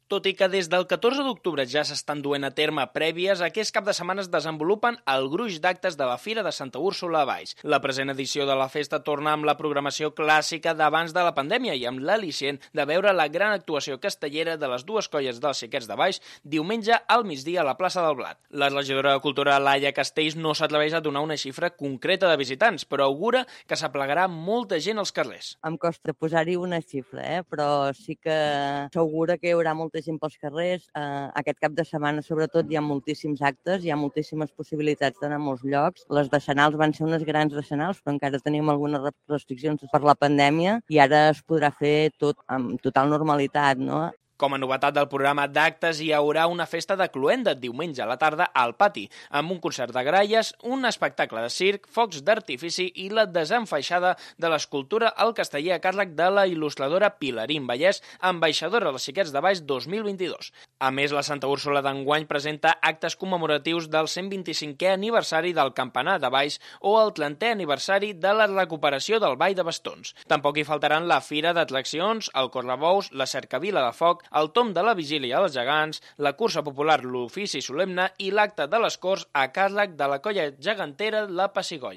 Tot i que des del 14 d'octubre ja s'estan duent a terme prèvies, aquest cap de setmana es desenvolupen el gruix d'actes de la Fira de Santa Úrsula a Valls. La present edició de la festa torna amb la programació clàssica d'abans de la pandèmia i amb l'al·licient de veure la gran actuació castellera de les dues colles dels Xiquets de Valls diumenge al migdia a la plaça del Blat. La regidora de Cultura, Laia Castells, no s'atreveix a donar una xifra concreta de visitants, però augura que s'aplegarà molta gent als carrers. Em costa posar-hi una xifra, però sí que s'augura que hi haurà molta gent pels carrers. Aquest cap de setmana, sobretot, hi ha moltíssims actes, hi ha moltíssimes possibilitats d'anar a molts llocs. Les decenals van ser unes grans decenals, però encara tenim algunes restriccions per la pandèmia i ara es podrà fer tot amb total normalitat, no? Com a novetat del programa d'actes, hi haurà una festa de cloenda diumenge a la tarda al pati, amb un concert de gralles, un espectacle de circ, focs d'artifici i la desenfaixada de l'escultura al casteller a càrrec de la il·lustradora Pilarín Vallès, ambaixadora dels Xiquets de Valls 2022. A més, la Santa Úrsula d'enguany presenta actes commemoratius del 125è aniversari del Campanar de Valls o el 30è aniversari de la recuperació del Ball de Bastons. Tampoc hi faltaran la Fira d'Atraccions, el Correbous, la Cercavila de Foc, el tomb de la vigília als gegants, la cursa popular l'ofici solemne i l'acte de les Corts a càrrec de la colla gegantera La Pessigolla.